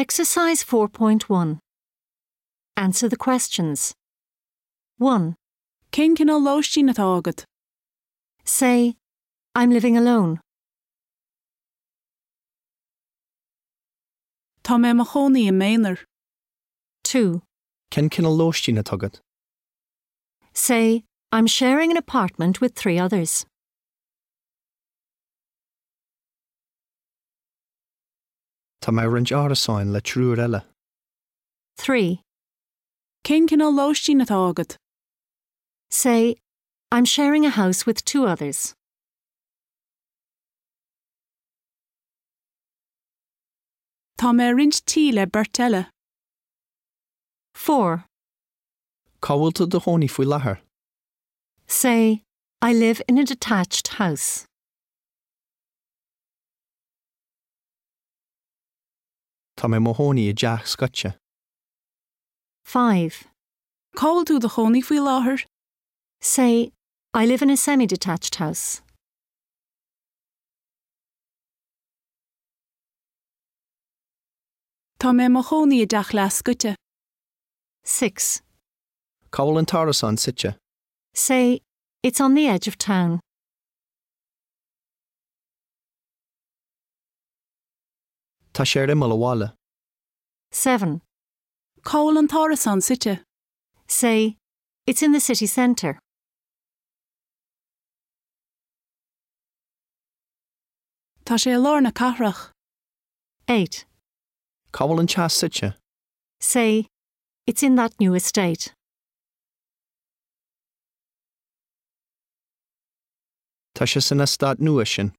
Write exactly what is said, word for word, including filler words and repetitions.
Exercise four point one. Answer the questions. one. Cén cineál lóistín atá agat? Say, I'm living alone. Tá mé i mo chónaí i m'aonar. two. Cén cineál lóistín atá agat? Say, I'm sharing an apartment with three others. Tá mé ag roinnt árasáin le triúr eile. three. Cén cineál lóistín atá agat? Say, I'm sharing a house with two others. Tá mé ag roinnt tí le beirt eile. four. Cá bhfuil tú i do chónaí faoi láthair? Say, I live in a detached house. Tá mé i mo chónaí i dteach scoite. five. Cá bhfuil tú i do chónaí faoi láthair? Say, I live in a semi-detached house. Tá mé i mo chónaí i dteach leathscoite. six. Cá bhfuil an t-árasán suite? Say, it's on the edge of town. Tá sé ar imeall an bhaile. seven. Cá bhfuil an t-árasán suite? Say, it's in the city centre. Tá sé i lár na cathrach. eight. Cá bhfuil an teach suite? Say, it's in that new estate. Tá sé san eastát nua sin.